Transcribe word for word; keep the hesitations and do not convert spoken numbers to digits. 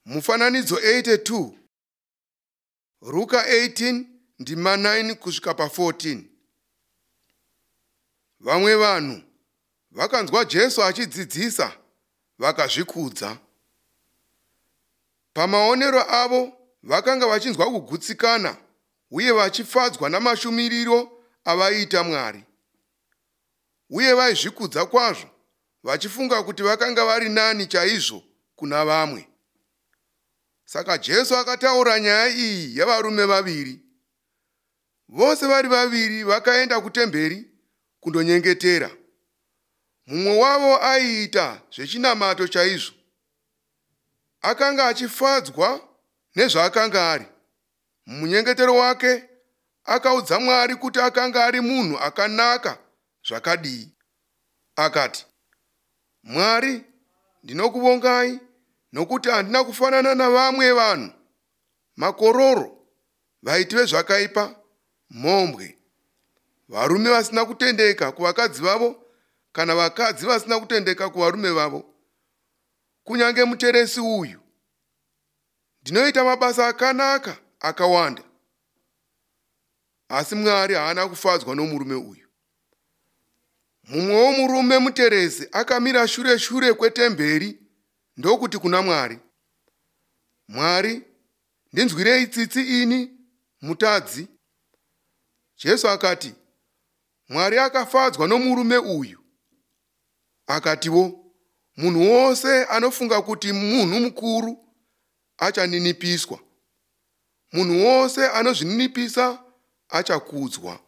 Mufananidzo eighty two, Ruka eighteen ndima nine kusvika pa fourteen. Vamwe vanhu vakanzwa Jesu achidzidzisa vakazvikudza. Pamaonero avo vakanga vachinzwa kugutsikana uye vachifadzwa namashumiriro avaiita Mwari. Uye vaizvikudza kwazvo vachifunga kuti vakanga vari nani chaizvo kuna vamwe. Saka Jesu akataura nyaya iyi yavarume vaviri. Vose vari vaviri vakaenda kutemberi kundonyengetera. Mumwe wavo aiita zvechinamato chaizvo. Akanga achifadzwa nezvaakanga ari. Mumunyengetero wake akaudza Mwari kuti akanga ari munhu akanaka zvakadii. Akati, "Mwari, ndinokuvongai nokuti handina kufanana navamwe vanhu, makororo, vaiti vezvakaipa, mhombwe, varume vasina kutendeka kuvakadzi vavo kana vakadzi vasina kutendeka kuvarume vavo, kunyange muteresi uyu. Ndinoita mabasa akanaka akawanda." Asi Mwari haana kufadzwa nomurume uyu. Mumwewo murume muteresi akamira shure shure kwetemberi ndokuti kuna Mwari, "Mwari, ndinzwirei tsitsi ini mutadzi." Jesu akati, "Mwari akafadzwa nomurume uyu." Akatiwo, "Munhu wose anofunga kuti munhu mukuru achaninipiswa. Munhu wose anozvininipisa achakudzwa."